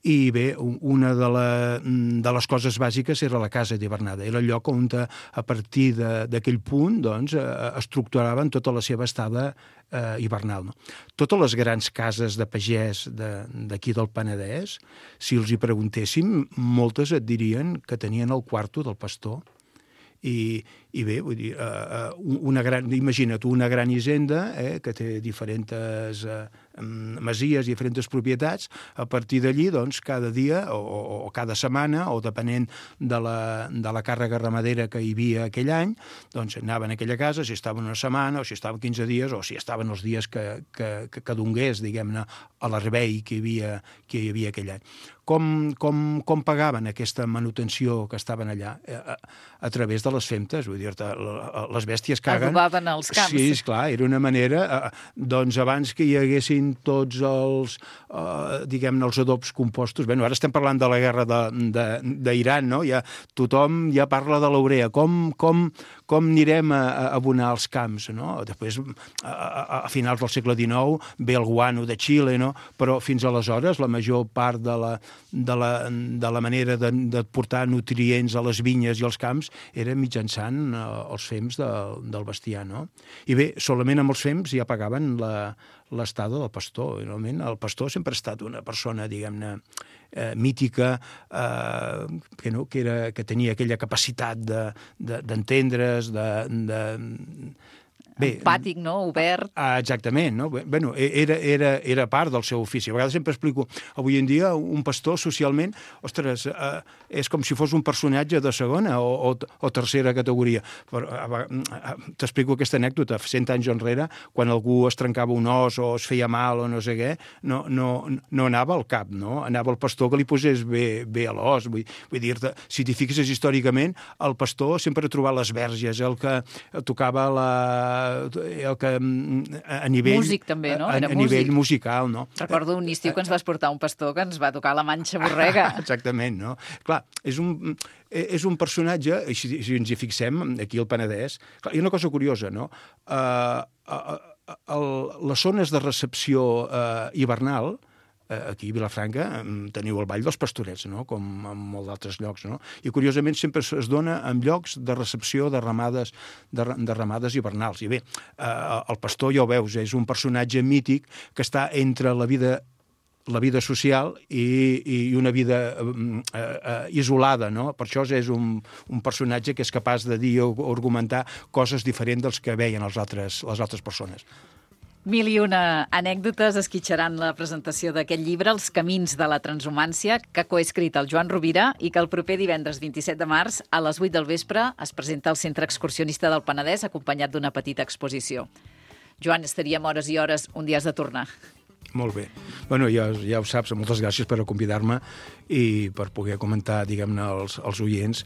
I bé, una de, la, de les coses bàsiques era la casa d'hivernada. Era el lloc on a partir d'aquell punt doncs, estructuraven tota la seva estada eh, hivernal. No? Totes les grans cases de pagès d'aquí de, del Penedès, si els hi preguntéssim, moltes et dirien que tenien el quarto del pastor. I, i bé, vull dir, uh, una gran, imagina't, una gran hisenda eh, que té diferents eh, masies, diferents propietats, a partir d'allí, doncs, cada dia o, o cada setmana, o depenent de la, de la càrrega ramadera que hi havia aquell any, doncs anaven a aquella casa, si estaven una setmana, o si estaven quinze dies, o si estaven els dies que, que, que, que dongués, diguem-ne, a la rebei que hi havia, que hi havia aquell any. Com, com, com pagaven aquesta manutenció que estaven allà? A, a través de les femtes, vull dir-te, les bèsties caguen.
Adobaven els camps.
Sí, esclar, era una manera, doncs abans que hi haguessin tots els, eh, diguem-ne, els adobs compostos, bé, ara estem parlant de la guerra d'Iran, no? Ja, tothom ja parla de l'urea, com, com, com anirem a, a abonar els camps, no? Després, a, a, a finals del segle dinou, ve el guano de Xile, no? Però fins aleshores la major part de la de la, de la manera de, de portar nutrients a les vinyes i als camps era mitjançant eh, els fems de, del bestiar, no? I bé, solament amb els fems ja pagaven l'estada del pastor. Normalment el pastor sempre ha estat una persona, diguem-ne, eh, mítica, eh, que, no, que, era, que tenia aquella capacitat d'entendre's, de, de, de
Bé, empàtic, no? Obert.
Ah, exactament, no? Bueno, era, era, era part del seu ofici. A vegades sempre explico, avui en dia un pastor socialment, ostres, eh, és com si fos un personatge de segona o, o, o tercera categoria. Però eh, t'explico aquesta anècdota. Cent anys enrere, quan algú es trencava un os o es feia mal o no sé què, no, no, no anava al cap, no? Anava el pastor que li posés bé, bé a l'os. Vull, vull dir-te, si t'hi fixes històricament, el pastor sempre ha trobat les verges, el que tocava la el que a nivell...
Músic també, no?
A, a nivell musical, no?
Recordo un estiu que ens vas portar un pastor que ens va tocar la Manxa Borrega.
Exactament, no? Clar, és un, és un personatge, si, si ens hi fixem, aquí al Penedès, clar, hi ha una cosa curiosa, no? Uh, uh, uh, les zones de recepció uh, hivernal, aquí a Vilafranca teniu el Ball dels Pastorets, no? Com en molts d'altres llocs, no? I curiosament sempre es dona en llocs de recepció de ramades, de, de ramades hivernals. I bé, eh, el pastor, ja ho veus, és un personatge mític que està entre la vida la vida social i, i una vida eh, eh, isolada, no? Per això és un, un personatge que és capaç de dir o argumentar coses diferents dels que veien els altres, les altres persones.
Mil i una anècdotes esquitxaran la presentació d'aquest llibre, Els camins de la transhumància, que ha coescrit el Joan Rovira i que el proper divendres vint-i-set de març a les vuit del vespre es presenta al Centre Excursionista del Penedès acompanyat d'una petita exposició. Joan, estaríem hores i hores, un dia has de tornar.
Molt bé. Bueno, ja, ja ho saps, moltes gràcies per convidar-me i per poder comentar, diguem-ne, als, als oients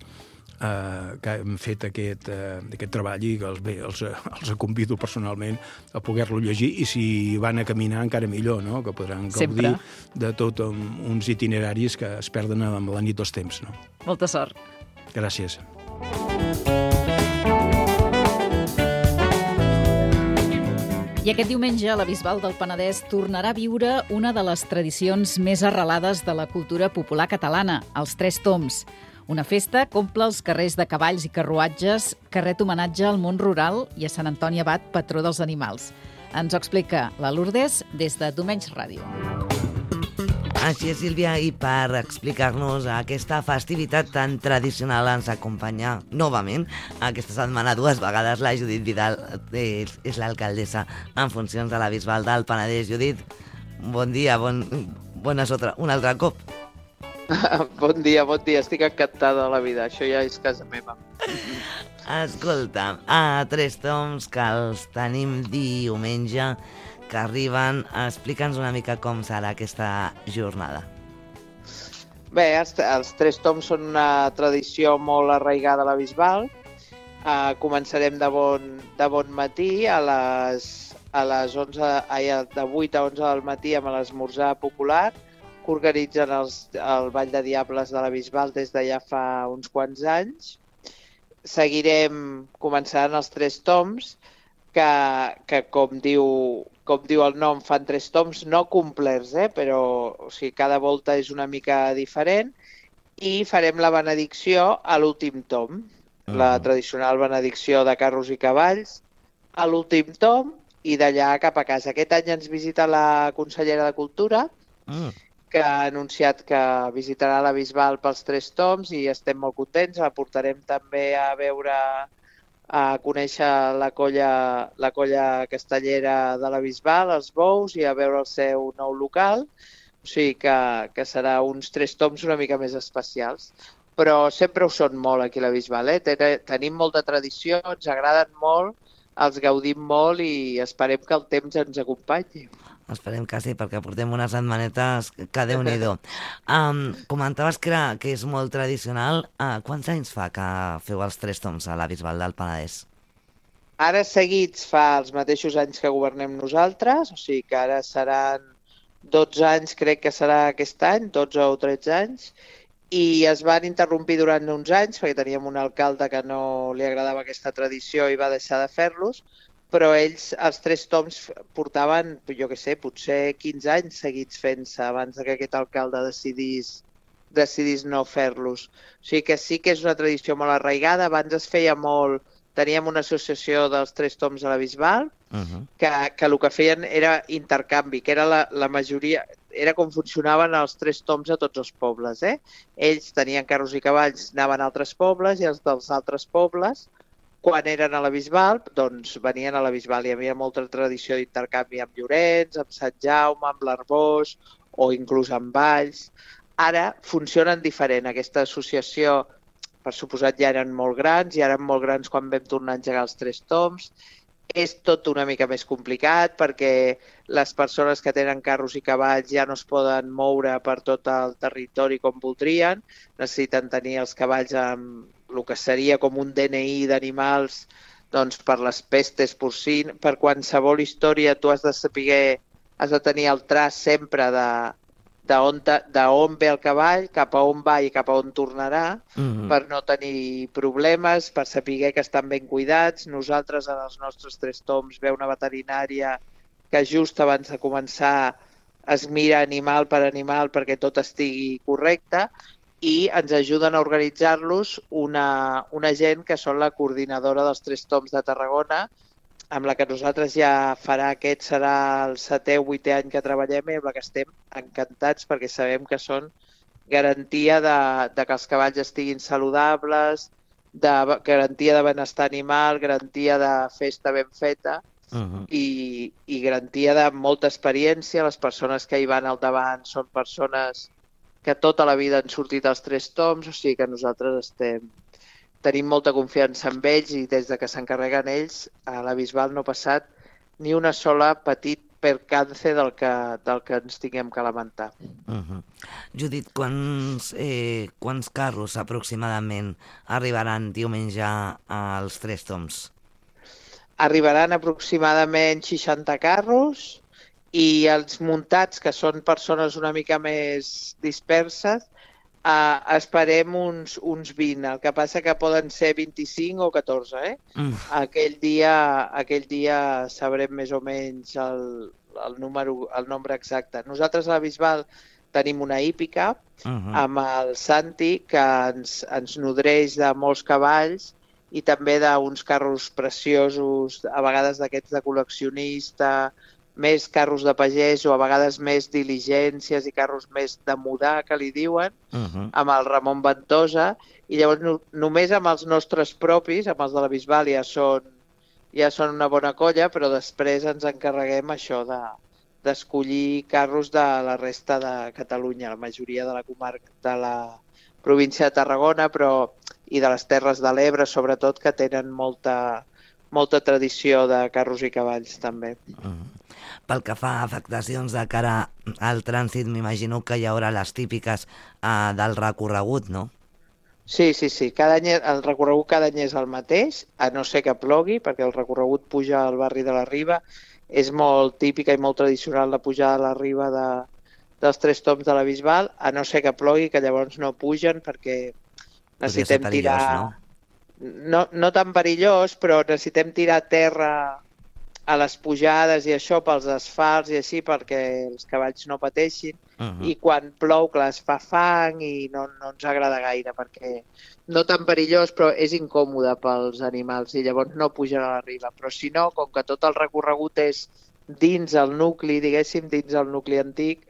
Uh, que hem fet aquest, uh, aquest treball i que els, bé, els, els convido personalment a poder-lo llegir i si van a caminar encara millor, no? Que podran gaudir
Sempre.
de tot um, uns itineraris que es perden amb la nit dels temps. No?
Molta sort.
Gràcies.
I aquest diumenge la Bisbal del Penedès tornarà a viure una de les tradicions més arrelades de la cultura popular catalana, els Tres Toms. Una festa que omple els carrers de cavalls i carruatges que ret homenatge al món rural i a Sant Antoni Abat, patró dels animals. Ens ho explica la Lourdes des de Domenys Ràdio.
Així és, Sílvia, i per explicar-nos aquesta festivitat tan tradicional ens acompanya novament aquesta setmana dues vegades la Judit Vidal, és, és l'alcaldessa en funcions de la Bisbal del Penedès. Judit, bon dia, bon, bones otra, un altre cop.
Bon dia, bon dia. Estic encantada de la vida. Això ja és casa meva.
Escolta, a Tres Toms, que els tenim diumenge, que arriben. Explica'ns una mica com serà aquesta jornada.
Bé, els, els Tres Toms són una tradició molt arraigada a la Bisbal. Uh, començarem de bon, de bon matí, a les, a les onze, ai, de vuit a onze del matí amb l'esmorzar popular, que organitzen els, el Ball de Diables de la Bisbal des de ja fa uns quants anys. Seguirem començant els Tres Toms, que, que com, diu, com diu el nom, fan tres toms no complerts, eh? Però o sigui, cada volta és una mica diferent, i farem la benedicció a l'últim tom, uh-huh. la tradicional benedicció de carros i cavalls, a l'últim tom, i d'allà cap a casa. Aquest any ens visita la consellera de Cultura, uh-huh. que ha anunciat que visitarà la Bisbal pels Tres Toms i estem molt contents. La portarem també a veure, a conèixer la colla, la colla castellera de la Bisbal, els bous, i a veure el seu nou local. O sigui que, que serà uns Tres Toms una mica més especials. Però sempre ho són molt aquí a la Bisbal. Eh? Tenim molta tradició, ens agraden molt, els gaudim molt i esperem que el temps ens acompanyi.
Esperem que sí, perquè portem unes setmanetes que Déu-n'hi-do. Um, comentaves que, era, que és molt tradicional. Uh, quants anys fa que feu els Tres Toms a la Bisbal del Penedès?
Ara seguits fa els mateixos anys que governem nosaltres, o sigui que ara seran dotze anys, crec que serà aquest any, dotze o tretze anys, i es van interrompir durant uns anys perquè teníem un alcalde que no li agradava aquesta tradició i va deixar de fer-los, però ells, els Tres Toms, portaven, jo què sé, potser quinze anys seguits fent-se abans que aquest alcalde decidís, decidís no fer-los. O sigui que sí que és una tradició molt arraigada. Abans es feia molt... Teníem una associació dels Tres Toms a la Bisbal, uh-huh. que, que el que feien era intercanvi, que era la, la majoria... era com funcionaven els tres toms a tots els pobles. Eh? Ells tenien carros i cavalls, anaven a altres pobles, i els dels altres pobles, quan eren a la Bisbal, doncs venien a la Bisbal. Hi havia molta tradició d'intercanvi amb Llorenç, amb Sant Jaume, amb l'Arbós, o inclús amb Valls. Ara funcionen diferent. Aquesta associació, per suposat, ja eren molt grans, ja eren molt grans quan vam tornar a engegar els tres toms. És tot una mica més complicat perquè les persones que tenen carros i cavalls ja no es poden moure per tot el territori com voldrien. Necessiten tenir els cavalls amb el que seria com un D N I d'animals, doncs per les pestes porcines, per qualsevol història tu has de saber, has de tenir el traç sempre de d'on ve el cavall, cap a on va i cap a on tornarà, mm-hmm. per no tenir problemes, per saber que estan ben cuidats. Nosaltres, en els nostres tres toms, ve una veterinària que just abans de començar es mira animal per animal perquè tot estigui correcte, i ens ajuden a organitzar-los una, una gent que són la coordinadora dels tres toms de Tarragona, amb la que nosaltres ja farà, aquest serà el setè o vuitè any que treballem, i amb la que estem encantats perquè sabem que són garantia de, de que els cavalls estiguin saludables, de garantia de benestar animal, garantia de festa ben feta, uh-huh. i, i garantia de molta experiència. Les persones que hi van al davant són persones que tota la vida han sortit als tres toms, o sigui que nosaltres estem... Tenim molta confiança en ells, i des de que s'encarreguen ells, a la Bisbal no ha passat ni una sola petit percance del que, del que ens tinguem que lamentar.
Uh-huh. Judit, quants, eh, quants carros aproximadament arribaran diumenge als tres toms?
Arribaran aproximadament seixanta carros, i els muntats, que són persones una mica més disperses, Uh, esperem uns, uns vint, el que passa que poden ser vint-i-cinc o catorze, eh? Mm. Aquell dia, aquell dia sabrem més o menys el, el, número, el nombre exacte. Nosaltres a la Bisbal tenim una hípica uh-huh. amb el Santi, que ens, ens nodreix de molts cavalls i també d'uns carros preciosos, a vegades d'aquests de col·leccionista, més carros de pagès o a vegades més diligències i carros més de mudar, que li diuen, uh-huh. amb el Ramon Ventosa, i llavors no, només amb els nostres propis, amb els de la Bisbal, ja són, ja són una bona colla, però després ens encarreguem això de, d'escollir carros de la resta de Catalunya, la majoria de la comarca, de la província de Tarragona, però i de les Terres de l'Ebre, sobretot, que tenen molta, molta tradició de carros i cavalls, també.
Uh-huh. Pel que fa a afectacions de cara al trànsit, m'imagino que hi haurà les típiques uh, del recorregut, no?
Sí, sí, sí. Cada any, el recorregut cada any és el mateix, a no ser que plogui, perquè el recorregut puja al barri de la Riba. És molt típica i molt tradicional la pujada a la Riba de, dels tres toms de la Bisbal, a no ser que plogui, que llavors no pugen perquè necessitem tirar... No? No, no tan perillós, però necessitem tirar terra a les pujades i això pels asfalts i així perquè els cavalls no pateixin. Uh-huh. I quan plou, clar, es fa fang i no, no ens agrada gaire perquè no tan perillós, però és incòmode pels animals i llavors no pugen a la Riba. Però si no, com que tot el recorregut és dins el nucli, diguéssim, dins el nucli antic,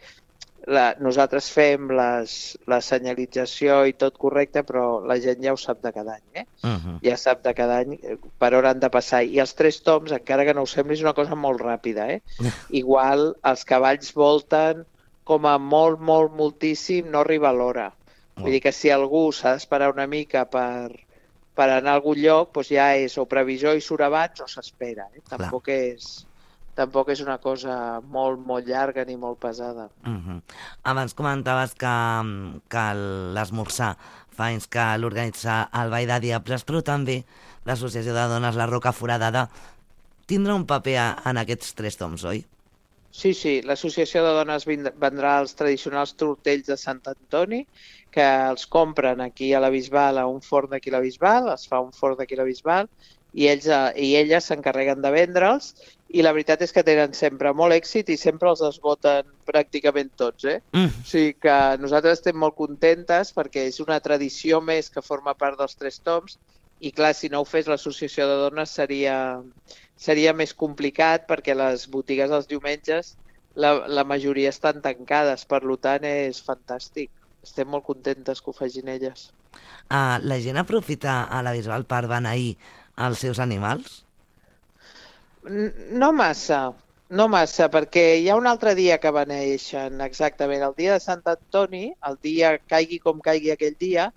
la, nosaltres fem les, la senyalització i tot correcte, però la gent ja ho sap de cada any, eh? Uh-huh. Ja sap de cada any per on han de passar. I els tres toms, encara que no ho sembli, és una cosa molt ràpida, eh? Igual els cavalls volten com a molt, molt, moltíssim, no arriba a l'hora. Vull dir que si algú s'ha d'esperar una mica per, per anar a algun lloc, doncs ja és o previsor i surt abans o s'espera. Eh? Tampoc és... Tampoc és una cosa molt, molt llarga ni molt pesada.
Uh-huh. Abans comentaves que, que l'esmorzar fa anys que l'organitza el Ball de Diables, però també l'Associació de Dones La Roca Foradada tindrà un paper en aquests tres toms, oi?
Sí, sí, l'Associació de Dones vendrà els tradicionals tortells de Sant Antoni, que els compren aquí a la Bisbal, a un forn d'aquí a la Bisbal, es fa un forn d'aquí a la Bisbal, i ells i elles s'encarreguen de vendre'ls, i la veritat és que tenen sempre molt èxit i sempre els esgoten pràcticament tots, eh? Mm. O sigui que nosaltres estem molt contentes perquè és una tradició més que forma part dels tres toms i clar, si no ho fes l'Associació de Dones seria, seria més complicat perquè les botigues dels diumenges la, la majoria estan tancades, per tant és fantàstic. Estem molt contentes que ho facin elles.
Uh, la gent aprofita a la Bisbal per beneir els seus animals?
No massa, no massa, perquè hi ha un altre dia que beneeixen, exactament, el dia de Sant Antoni, el dia caigui com caigui aquell dia,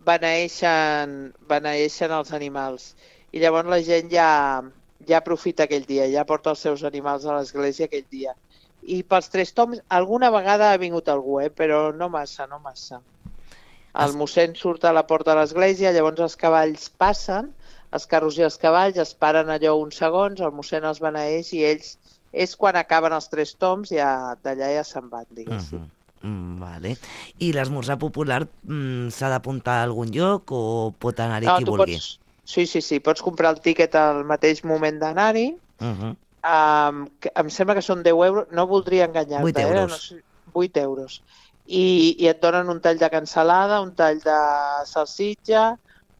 beneeixen, beneeixen els animals. I llavors la gent ja, ja aprofita aquell dia, ja porta els seus animals a l'església aquell dia. I pels Tres Tombs alguna vegada ha vingut algú, eh? Però no massa, no massa. El mossèn surt a la porta de l'església, llavors els cavalls passen, els carros i els cavalls es paren allò uns segons, el mossèn els beneeix i ells, és quan acaben els Tres Tombs, ja d'allà ja se'n van, diguéssim.
Uh-huh. mm, vale. I l'esmorzar popular mm, s'ha d'apuntar a algun lloc o pot anar-hi
no,
qui vulgui?
Pots, sí, sí, sí, pots comprar el tíquet al mateix moment d'anar-hi. Uh-huh. um, em sembla que són deu euros, no voldria enganyar-te.
vuit euros.
Eh? No sé, vuit euros. I, I et donen un tall de cansalada, un tall de salsitxa,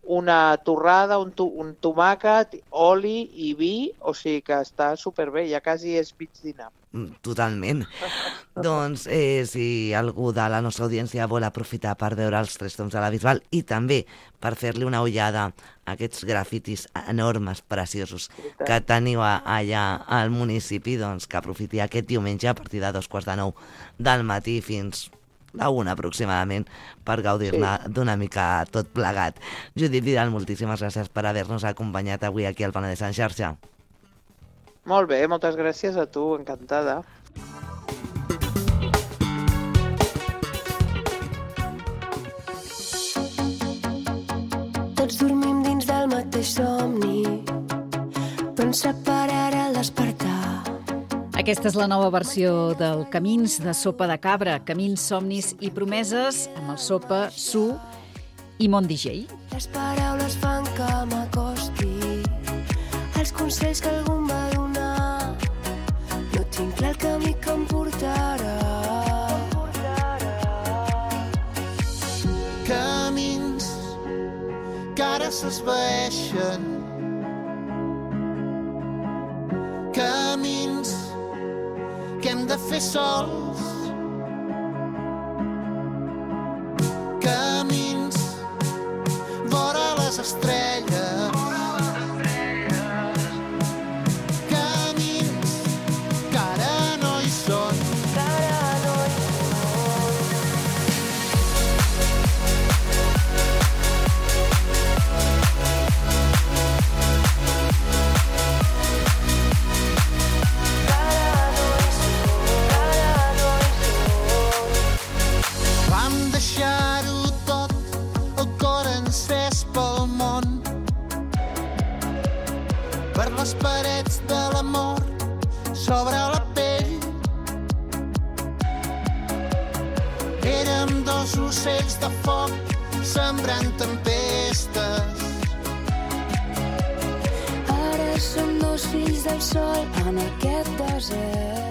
una torrada, un, to, un tomàquet, oli i vi, o sigui que està superbé, ja quasi és mig dinar.
Totalment. Doncs eh, si algú de la nostra audiència vol aprofitar per veure els Tres Tombs de la Bisbal i també per fer-li una ullada a aquests grafitis enormes, preciosos que teniu allà al municipi, doncs que aprofiti aquest diumenge a partir de dos quarts de nou del matí fins la una aproximadament per gaudir-ne sí. d'una mica tot plegat. Judit Vidal, moltíssimes gràcies per haver-nos acompanyat avui aquí al Penedès en xarxa.
Molt bé, moltes gràcies a tu, encantada.
Tots dormim dins del mateix somni, però ens separarà el despertar.
Aquesta és la nova versió del Camins de Sopa de Cabra, Camins, Somnis i Promeses, amb el Sopa, Su i Mont D J.
Les paraules fan que m'acosti als consells que algú em va donar. No tinc clar el camí que em portarà.
Camins que ara s'esvaeixen, camins que hem de fer sols, camins vora les estrelles, camins que ara no hi són, que ara no hi per les parets de l'amor sobre la pell. Érem dos ocells de foc sembrant tempestes.
Ara som dos fills del sol en aquest desert.